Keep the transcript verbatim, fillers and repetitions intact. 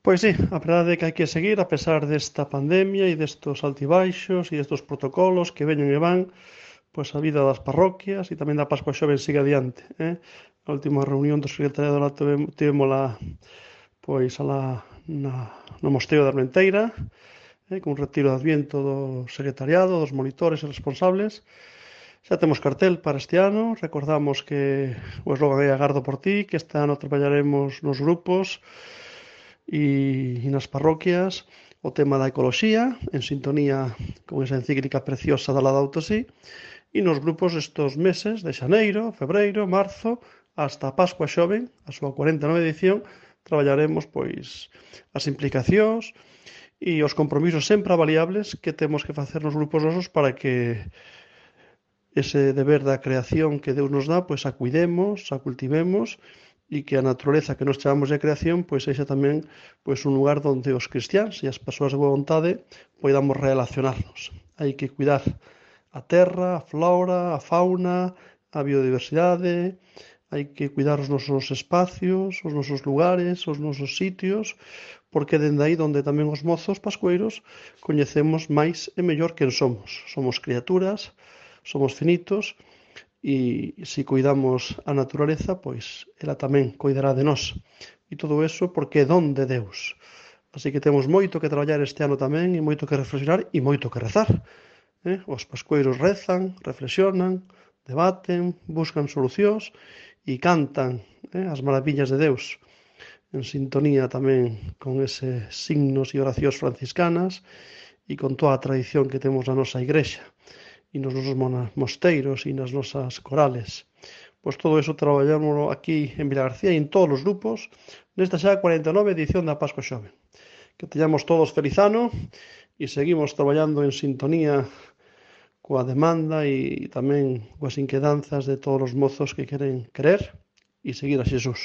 Pois sí, a verdade é que hai que seguir a pesar desta pandemia e destos altibaixos e destos protocolos que veñen e van, pois a vida das parroquias e tamén da Pascua Xoven sigue adiante, eh? A última reunión do secretariado lá tivémola pois alá na, no Mosteiro da Armenteira, eh, cun retiro de adviento do secretariado, dos monitores e responsables. Xa temos cartel para este ano, recordamos que o eslogan é Agardo por ti, que este ano traballaremos nos grupos e, e nas parroquias o tema da ecoloxía, en sintonía con esa encíclica preciosa da Laudato Si, e nos grupos estes meses de xaneiro, febreiro, marzo, hasta a Pascua Xoven, a súa cuarenta e nova edición, traballaremos pois as implicacións e os compromisos sempre avaliables que temos que facer nos grupos nosos para que ese deber da creación que Deus nos dá, pois a cuidemos, a cultivemos e que a natureza que nos chamamos de creación pois sexa tamén pois un lugar onde os cristiáns e as persoas de boa vontade poidamos relacionarnos. Hai que cuidar a terra, a flora, a fauna, a biodiversidade, hai que cuidar os nosos espacios, os nosos lugares, os nosos sitios, porque dende aí donde tamén os mozos pascueiros coñecemos máis e mellor quen somos. Somos criaturas, somos finitos, e se cuidamos a naturaleza, pois ela tamén cuidará de nós. E todo eso porque é don de Deus. Así que temos moito que traballar este ano tamén, e moito que reflexionar, e moito que rezar. Eh? Os pascueiros rezan, reflexionan, debaten, buscan solucións e cantan eh, as maravillas de Deus, en sintonía tamén con eses signos e oracións franciscanas e con toda a tradición que temos na nosa igrexa e nos nosos mosteiros e nas nosas corales. Pois todo eso traballámoslo aquí en Vilagarcía e en todos os grupos nesta xa cuarenta e nova edición da Pascua Xoven. Que teñamos todos feliz ano e seguimos traballando en sintonía coa demanda e tamén coas inquedanzas de todos os mozos que queren creer e seguir a Xesús.